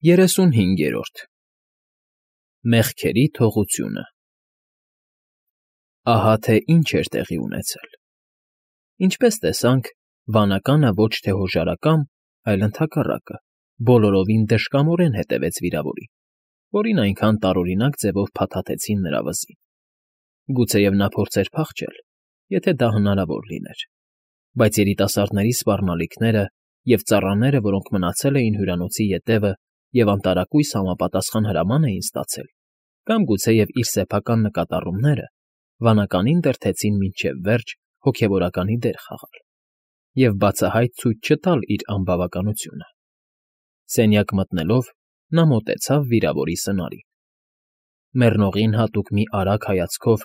35-րդ Մեղքերի թողությունը Ահա թե ինչ էր տեղի ունեցել. ինչպես տեսանք, վանականը ոչ թե հոժարակամ, այլ ընդհակառակը, բոլորովին դժկամորեն հետևեց վիրավորին, որին այնքան տարօրինակ ձևով փաթաթեցին նրա վզին. գուցեև նա փորձեր փախչել, եթե դա հնարավոր լիներ, բայց երիտասարդների սպառնալիքները և ծառաները, որոնք մնացել էին հյուրանոցի ետևը և անտարակույս համապատասխան հրաման էին ստացել, կամ գուցեև իր սեփական նկատառումները վանականին դրդեցին մինչև վերջ հոգևորականի դեր խաղալ և բացահայտ ցույց չտալ իր անբավականությունը. սենյակ մտնելով՝ նա մոտեցավ վիրավորի սնարին. մեռնողին հատուկ մի արագ հայացքով,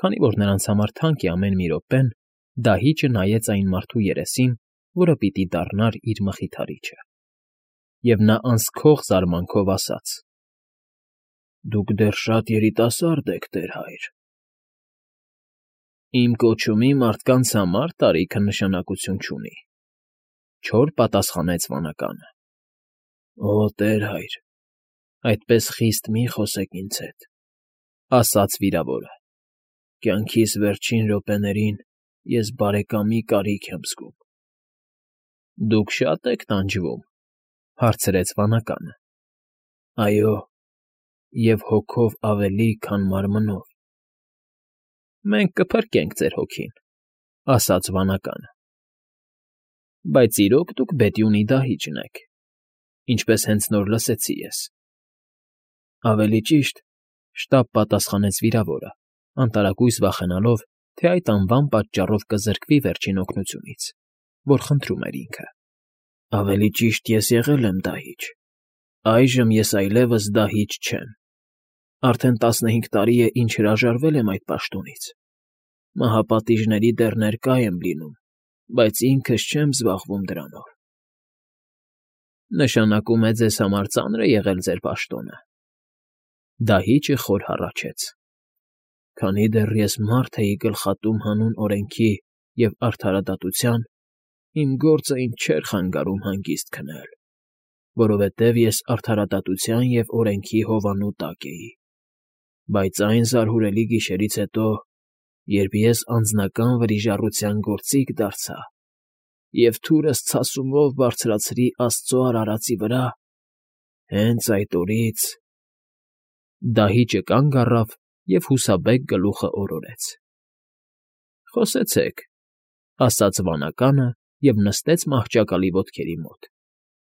քանի որ նրանց համար թանկ է ամեն մի րոպեն, դահիճը նայեց այն մարդու երեսին, որը պիտի դառնար իր մխիթարիչը, և նա անսքող զարմանքով ասաց. «Դուք դեռ շատ երիտասարդ եք, տեր հայր»։ «Իմ կոչումի մարդկանց համար տարիքը նշանակություն չունի,֊ չոր պատասխանեց վանականը։ «Օ, տեր հայր, այդպես խիստ մի խոսեք ինձ հետ,֊ ասաց վիրավորը,֊ կյանքիս վերջին րոպեներին ես բարեկամի կարիք եմ զգում»։ «Դուք շա՞տ եք տանջվում,֊ հարցրեց վանականը։ «Այո, և հոգով ավելի, քան մարմնով»։ «Մենք կփրկենք ձեր հոգին,֊ ասաց վանականը։ Բայց իրոք դուք Բետյունի դահիճն եք, ինչպես հենց նոր լսեցի ես»։ «Ավելի ճիշտ,֊ շտապ պատասխանեց վիրավորը, անտարակույս վախենալով, թե այդ անվան պատճառով կզրկվի վերջին օգնությունից, որ խնդրում էր ինքը,֊ ավելի ճիշտ ես եղել եմ դահիճ, այժմ ես այլևս դահիճ չեմ։ Արդեն 15 տարի է, ինչ հրաժարվել եմ այդ պաշտոնից։ Մահապատիժների դեռ ներկա եմ լինում, բայց ինքս չեմ զբաղվում դրանով»։ «Նշանակում է ձեզ համար ծանր է եղել ձեր պաշտոնը»։ Դահիճը խոր հառաչեց. «Քանի դեռ ես մարդ էի գլխատում հանուն օրենքի և արդարադատության, իմ գործը ինձ չէր խանգարում հանգիստ քնել, որովհետև ես արդարադատության և օրենքի հովանու տակ էի։ Բայց այն զարհուրելի գիշերից հետո, երբ ես անձնական վրիժառության գործիք դարձա և թուրս ցասումով բարձրացրի աստծո արարածի վրա, հենց այդ օրից…»։ Դահիճը կանգ առավ և հուսաբեկ գլուխը օրորեց։ «Խոսեցեք,֊ ասաց վանականը և նստեց մահճակալի ոտքերի մոտ,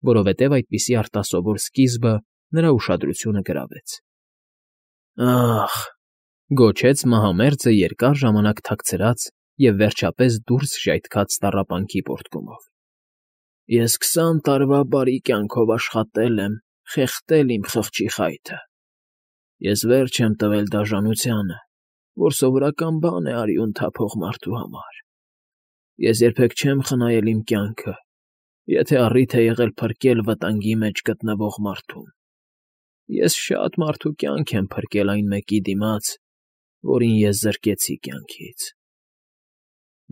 որովհետև այդպիսի արտասովոր սկիզբը նրա ուշադրությունը գրավեց։ «Ա՜խ,֊ գոչեց մահամերձը երկար ժամանակ թաքցրած և վերջապես դուրս ժայթքած տառապանքի պոռթկումով,֊ ես 20 տարվա բարի կյանքով աշխատել եմ, խեղդել իմ խղճի խայթը։ Ես վերջ եմ տվել դաժանությանը, որ սովորական բան է արյուն թափող մարդու համար։ Ես երբեք չեմ խնայել իմ կյանքը, եթե առիթ է եղել փրկել վտանգի մեջ գտնվող մարդուն։ Ես շատ մարդու կյանք եմ փրկել այն մեկի դիմաց, որին ես զրկեցի կյանքից։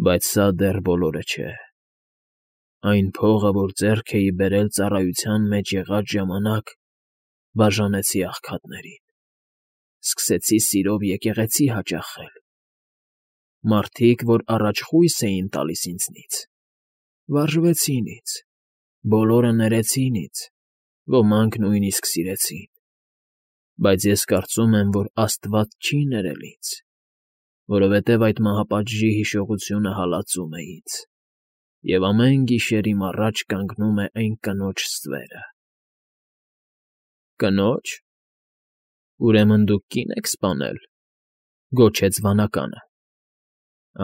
Բայց սա դեռ բոլորը չէ։ Այն փողը, որ ձեռք էի բերել ծառայության մեջ եղած ժամանակ, բաժանեցի աղքատներին, սկսեցի սիրով եկեղեցի հաճախել։ Մարդիկ, որ առաջ խույս էին տալիս ինձնից, վարժվեցին ինձ, բոլորը ներեցին ինձ, ոմանք նույնիսկ սիրեցին։ Բայց ես կարծում եմ, որ աստված չի ներել ինձ, որովհետև այդ մահապատժի հիշողությունը հալածում է ինձ, և ամեն գիշեր իմ առաջ կանգնում է այն կնոջ ստվերը»։ «Կնո՞ջ, ուրեմն դուք կին եք սպանել,֊ գոչեց վանականը։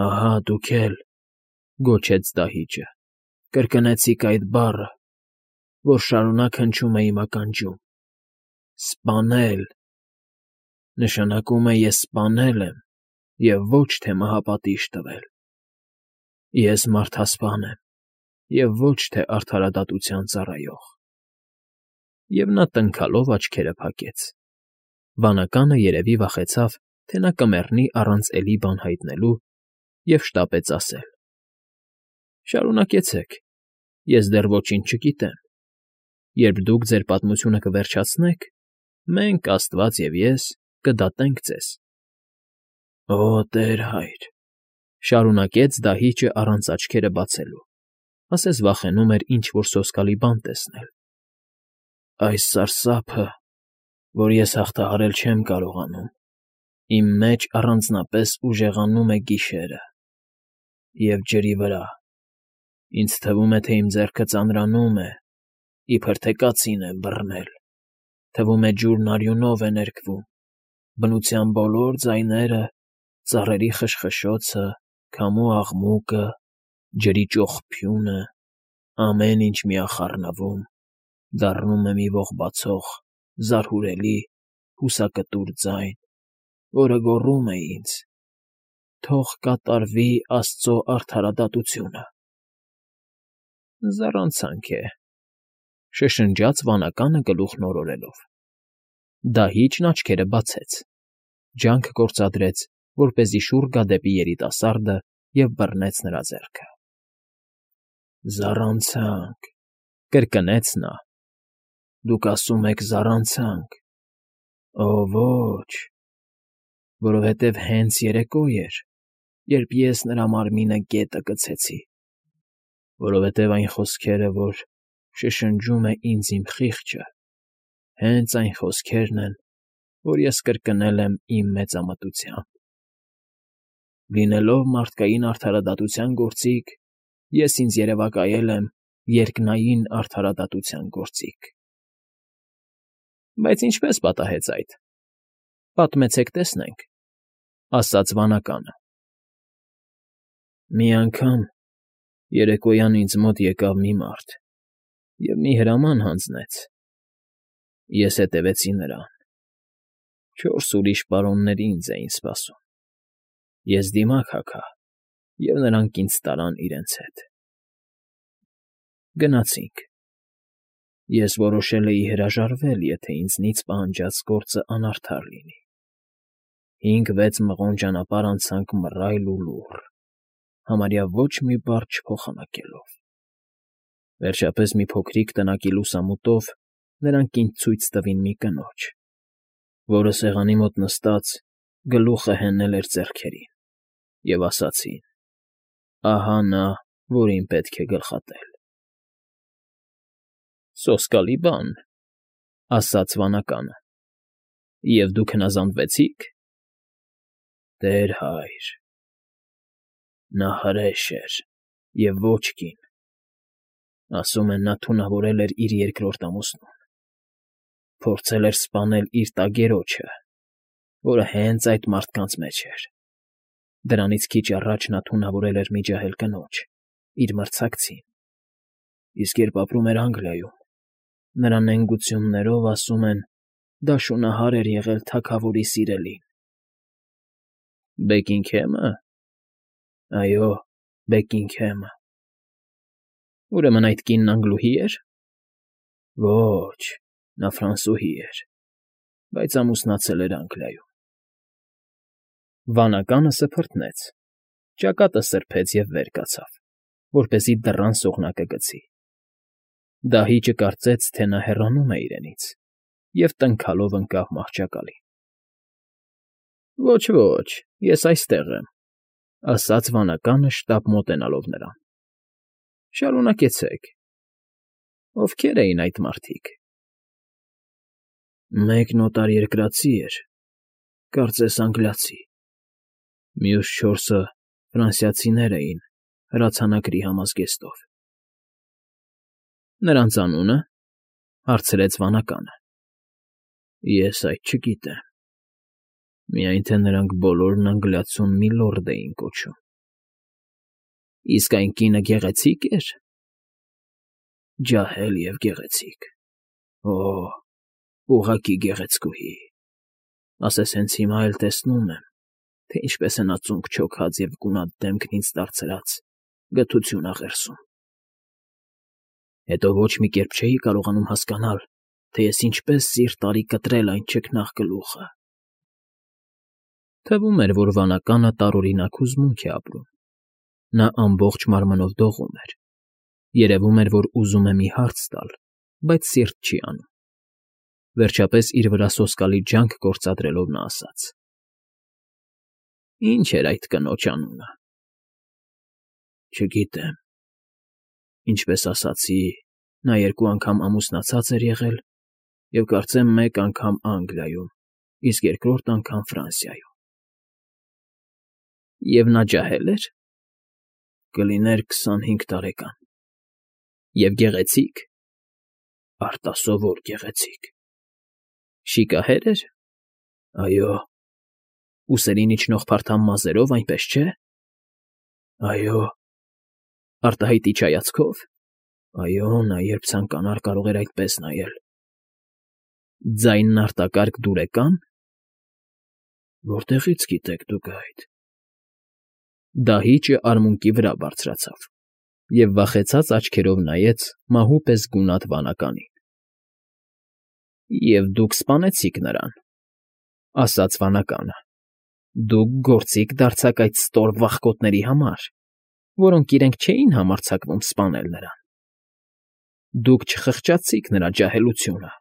«Ահա դուք էլ,֊ գոչեց դահիճը,֊ կրկնեցիք այդ բառը, որ շարունակ հնչում է իմ ականջում. սպանել… Նշանակում է ես սպանել եմ և ոչ թե մահապատիժ տվել։ Ես մարդասպան եմ և ոչ թե արդարադատության ծառայող»։ Եվ նա տնքալով աչքերը փակեց։ Վանականը երևի վախեցավ, թե նա կմեռնի առանց էլի բան հայտնելու, և շտապեց ասել. «Շարունակեցեք, ես դեռ ոչինչ չգիտեմ»։ Երբ դուք ձեր պատմությունը կվերջացնեք, մենք, Աստված և ես, կդատենք ձեզ։ ֊ Օ, Տեր հայր,֊ շարունակեց դահիճը առանց աչքերը բացելու, ասես վախենում էր ինչ֊որ սոսկալի բան տեսնել։֊ Այս սարսափը, որ ես հաղթահարել չեմ կարողանում, իմ մեջ առանձնապես ուժեղանում է գիշերը և ջրի վրա, ինձ թվում է, թե իմ ձեռքը ծանրանում է, իբր թե կացին է բռնել, թվում է ջուրն արյունով է ներկվում, բնության բոլոր ձայները, ծառերի խշխշոցը, քամու աղմուկը, ջրի ճոխփյունը, ամեն ինչ միախառնվում, դառնում է մի ողբացող, զարհուրելի, հուսակտուր ձայն, որը գոռում է ինձ. «Թող կատարվի Աստծո արդարադատությունը»։ ֊ Զառանցանք է,֊ շշնջաց վանականը գլուխն օրորելով։ Դահիճն աչքերը բացեց, ջանք գործադրեց, որպեսզի շուռ գա դեպի երիտասարդը և բռնեց նրա ձեռքը։ ֊ Զառանցանք,֊ կրկնեց նա։֊ Դուք ասում եք զառանցանք… Օ, ոչ, որովհետև հենց երեկո էր, երբ ես նրա մարմինը գետը կցեցի, որովհետև այն խոսքերը, որ շշնջում է ինձ իմ խիղճը, հենց այն խոսքերն են, որ ես կրկնել եմ իմ մեծամտությամբ։ Լինելով մարդկային արդարադատության գործիք, ես ինձ երևակայել եմ երկնային արդարադատության գործիք։ ֊ Բայց ինչպե՞ս պատահեց այդ, պատմեցեք տեսնենք,֊ ասաց վանականը։ ֊ Մի անգամ երեկոյան ինձ մոտ եկավ մի մարդ և մի հրաման հանձնեց։ Ես հետևեցի նրան. 4 ուրիշ պարոններ ինձ էին սպասում։ Ես դիմակ հագա, և նրանք ինձ տարան իրենց հետ։ Գնացինք։ Ես որոշել էի հրաժարվել, եթե ինձնից պահանջած գործը անարդար լինի։ 5-6 մղոն ճանապարհ անցանք մռայլ ու լուռ, համարյա ոչ մի բառ չփոխանակելով։ Վերջապես մի փոքրիկ տնակի լուսամուտով նրանք ինձ ցույց տվին մի կնոջ, որը սեղանի մոտ նստած գլուխը հենել էր ձեռքերին, և ասացին. «Ահա նա, որին պետք է գլխատել»։ ֊ Սոսկալի բան,֊ ասաց վանականը։ ֊ Եվ դուք հնազանդվեցի՞ք։ ֊ Տեր հայր… Նա հրեշ էր և ոչ կին, ասում են, նա թունավորել էր իր երկրորդ ամուսնուն, փորձել էր սպանել իր տագերոջը, որը հենց այդ մարդկանց մեջ էր։ Դրանից քիչ առաջ նա թունավորել էր մի ջահել կնոջ, իր մրցակցին, իսկ երբ ապրում էր Անգլիայում, նրա նենգություններով, ասում են, դա շունահար էր եղել թագավորի սիրելին։ ֊ Բեկինգհե՞մը։ ֊ Այո, Բեկինգհեմը։ ֊ Ուրեմն այդ կինն անգլուհի էր։ ֊ Ոչ, նա ֆրանսուհի էր, բայց ամուսնացել էր Անգլիայում։ Վանականը սփռտնեց, ճակատը սրբեց և վեր կացավ, որպեսզի դռան սողնակը գցի։ Դահիճը կարծեց, թե նա հեռանում է իրենից, և տնքալով ընկավ մահճակալին։ ֊ Ոչ, ես այստեղ եմ,֊ ասաց վանականը շտապ մոտենալով նրան։ ֊ Շարունակեցեք։ Ովքե՞ր էին այդ մարդիկ։ ֊ Մեկն օտարերկրացի էր, կարծես անգլիացի, մյուս 4-ը ֆրանսիացիներ էին հրացանակրի համազգեստով։ ֊ Նրանց անունը,֊ հարցրեց վանականը։ ֊ Ես այդ չգիտեմ, միայն թե նրանք բոլորն անգլիացուն մի լորդ էին կոչում։ ֊ Իսկ այն կինը գեղեցի՞կ էր։ ֊ Ջահել և գեղեցիկ, օ, ուղղակի գեղեցկուհի, ասես հենց հիմա էլ տեսնում եմ, թե ինչպես է նա ծունկ֊չոքած և գունատ դեմքն ինձ դարձրած գթություն աղերսում։ Հետո ոչ մի կերպ չէի կարողանում հասկանալ, թե ես ինչպես սիրտ արի կտրել այն չքնաղ գլուխը։ Թվում էր, որ վանականը տարօրինակ հուզմունք է ապրում։ Նա ամբողջ մարմնով դողում էր։ Երևում էր, որ ուզում է մի հարց տալ, բայց սիրտ չի անում։ Վերջապես իր վրա սոսկալի ջանք գործադրելով նա ասաց. Ինչ էր այդ կնոջ անունը։ Չգիտեմ։ Ինչպես ասացի, նա 2 անգամ ամուսնացած էր եղել և կարծեմ 1 անգամ Անգլիայում, իսկ 2-րդ անգամ Ֆրանսիայում։ Եվ նա ջահե՞լ էր։ Կլիներ 25 տարեկան։ Եվ գեղեցի՞կ։ Արտասովոր գեղեցիկ։ Շիկահե՞ր էր։ Այո։ Ուսերին իջնող փարթամ մազերով, այնպես չէ։ Այո։ Արտահայտիչ հայացքով։ Այո, նա երբ ցանկանար, կարող էր այդպես նայել։ Ձայնն արտակարգ դուրեկա՞ն։ Որտեղից գիտեք դուք այդ։ Դահիճը արմունկի վրա բարձրացավ և վախեցած աչքերով նայեց մահու պես գունատ վանականին։ Եվ դուք սպանեցիք նրան, ասաց վանականը։ Դուք գործիք դարձաք այդ ստոր վախկոտների համար, որոնք իրենք չէին համարձակվում սպանել նրան։ Դուք չխղճացիք նրա ջահելությունը,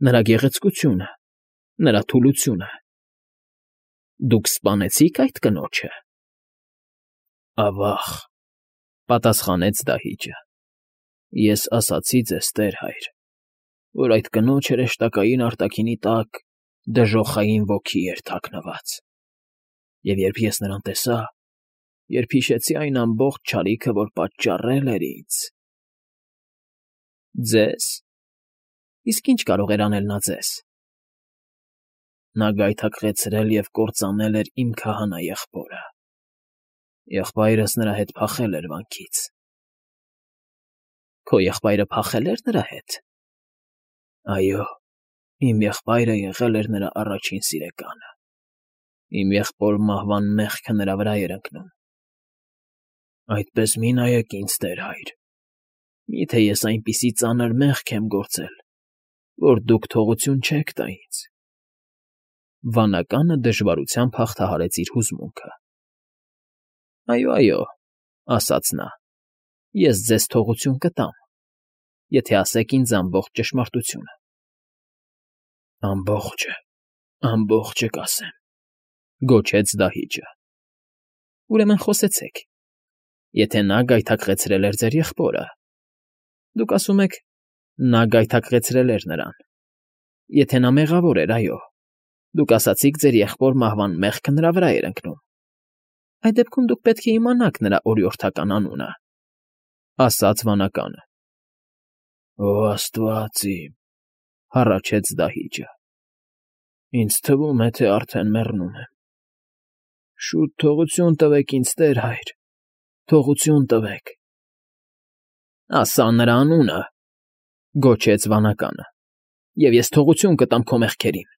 նրա գեղեցկությունը, նրա թուլությունը։ Դուք սպանեցիք այդ կնոջը։ Ավա՜ղ, պատասխանեց դահիճը։ Ես ասացի ձեզ, տեր հայր, որ այդ կնոջ հրեշտակային արտաքինի տակ դժոխային ոգի էր թաքնված։ Եվ երբ ես նրան տեսա, երբ հիշեցի այն ամբողջ չարիքը, որ պատճառել էր ինձ… Ձե՞զ։ Իսկ ինչ կարող էր անել նա ձեզ։ Նա գայթակղեցրել և կործանել էր իմ քահանա եղբորը։ Եղբայրս նրա հետ փախել էր վանքից։ Քո եղբայրը փախել էր նրա հետ։ Այո, իմ եղբայրը եղել էր նրա առաջին սիրեկանը։ Իմ եղբոր մահվան մեղքը նրա վրա էր ընկնում։ Այդպես մի նայեք ինձ, տեր հայր։ Մի՞թե ես այնպիսի ծանր մեղք եմ գործել, որ դուք թողություն չեք տա ինձ։ Վանականը դժվարությամբ հաղթահարեց իր հուզմունքը։ Այո, այո, ասաց նա, ես ձեզ թողություն կտամ, եթե ասեք ինձ ամբողջ ճշմարտությունը։ Ամբողջը կասեմ, գոչեց դահիճը։ Ուրեմն խոսեցեք։ Եթե նա գայթակղեցրել էր ձեր եղբորը, դուք ասում եք, նա գայթակղեցրել էր նրան։ Եթե նա մեղավոր էր, այո, դուք ասացիք, ձեր եղբոր մահվան մեղքը նրա վրա էր ընկնում։ Այդ դեպքում դուք պետք է իմանաք նրա օրիորդական անունը, ասաց վանականը։ Օ Աստված իմ, հառաչեց դահիճը։ Ինձ թվում է, թե արդեն մեռնում եմ։ Շուտ թողություն տվեք ինձ, տեր հայր, թողություն տվեք։ Ասա նրա անունը, գոչեց վանականը, և ես թողություն կտամ քո մեղքերին։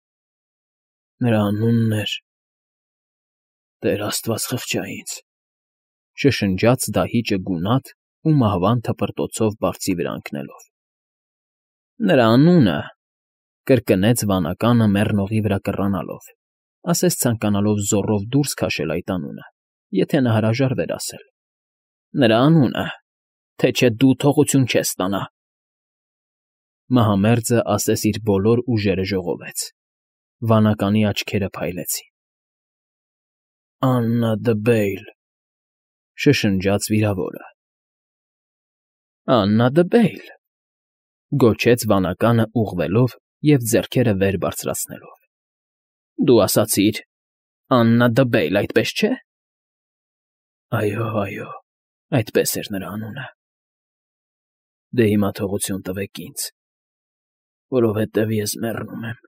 Նրա անունն էր… Տեր Աստված խղճա ինձ, շշնջաց դահիճը գունատ ու մահվան թպրտոցով բարձի վրա ընկնելով։ Նրա անունը, կրկնեց վանականը մեռնողի վրա կռանալով, ասես ցանկանալով զոռով դուրս քաշել այդ անունը, եթե նա հրաժարվեր ասել։ Նրա անունը, թե չէ դու թողություն չես ստանա։ Մահամերձը ասես իր բոլոր ուժերը ժողովեց։ Վանականի աչքերը փայլեցին։ Աննա Դբեյլ, շշնջաց վիրավորը։ Աննա Դբեյլ, գոչեց վանականը ուղղվելով և ձեռքերը վեր բարձրացնելով։ Դու ասացիր. Աննա Դբեյլ, այդպես չէ։ Այո, այդպես էր նրա անունը։ Դե հիմա թողություն տվեք ինձ, որովհետև ես մեռնում եմ։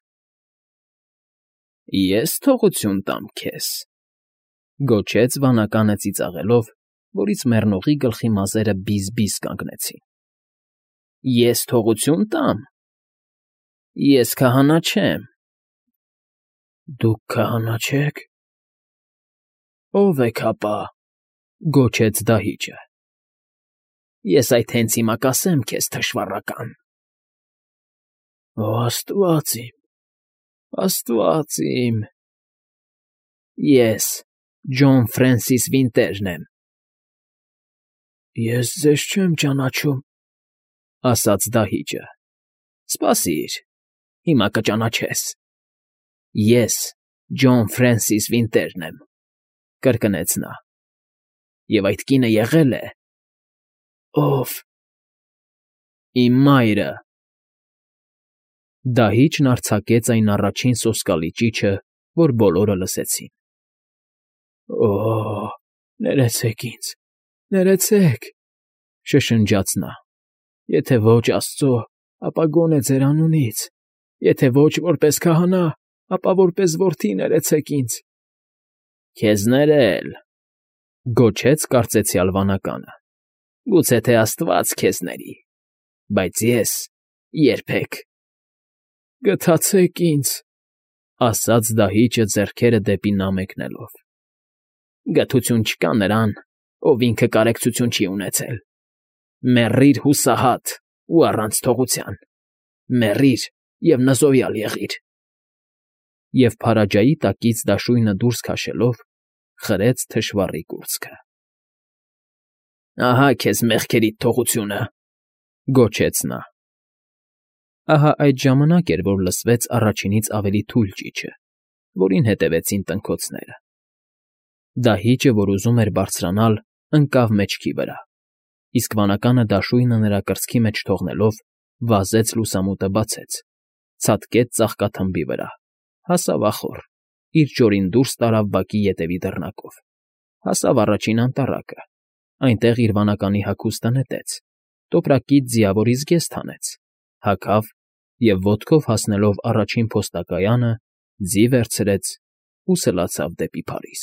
Ես թողություն տամ քեզ, գոչեց վանականը ծիծաղելով, որից մեռնողի գլխի մազերը բիզ-բիզ կանգնեցին։ Ես թողություն տամ։ Ես քահանա չեմ։ Դուք քահանա չեք։ Ո՞վ եք ապա, գոչեց դահիճը։ Ես այդ հենց հիմա կասեմ քեզ, թշվառական։ Օ Աստված իմ, Աստված իմ։ Ես Ջոն Ֆրենսիս Վինտերն եմ։ Ես ձեզ չեմ ճանաչում, ասաց դահիճը։ Սպասիր, հիմա կճանաչես։ Ես Ջոն Ֆրենսիս Վինտերն եմ, կրկնեց նա։ Եվ այդ կինը եղել է… Ո՞վ։ Իմ մայրը։ Դահիճն արձակեց այն առաջին սոսկալի ճիչը, որ բոլորը լսեցին։ Օ՜, ներեցեք ինձ, ներեցեք, շշնջաց նա։ Եթե ոչ Աստծո, ապա գոնե ձեր անունից, եթե ոչ որպես քահանա, ապա որպես որդի ներեցեք ինձ։ Քեզ ներել, գոչեց կարծեցյալ վանականը։ Գուցե թե Աստված քեզ ների, բայց ես երբեք։ Գթացեք ինձ, ասաց դահիճը ձեռքերը դեպի նա մեկնելով։ Գթություն չկա նրան, ով ինքը կարեկցություն չի ունեցել։ Մեռիր հուսահատ ու առանց թողության, մեռիր և նզովյալ եղիր։ Եվ փարաջայի տակից դաշույնը դուրս քաշելով՝ խրեց թշվառի կուրծքը։ Ահա քեզ մեղքերիդ թողությունը, գոչեց նա։ Ահա այդ ժամանակ էր, որ լսվեց առաջինից ավելի թույլ ճիչը, որին հետևեցին տնքոցները։ Դահիճը, որ ուզում էր բարձրանալ, ընկավ մեջքի վրա, իսկ վանականը դաշույնը նրա կրծքի մեջ թողնելով, վազեց լուսամուտը բացեց, ցատկեց ծաղկաթմբի վրա, հասավ ախոռ, իր ճորին դուրս տարավ բակի ետևի դռնակով, հասավ առաջին անտառակը, այնտեղ իր վանականի հագուստը նետեց, տոպրակից ձիավորի զգեստ հանեց, հագավ և ոտքով հասնելով առաջին փոստակայանը, ձի վերցրեց ու սլացավ դեպի Փարիզ։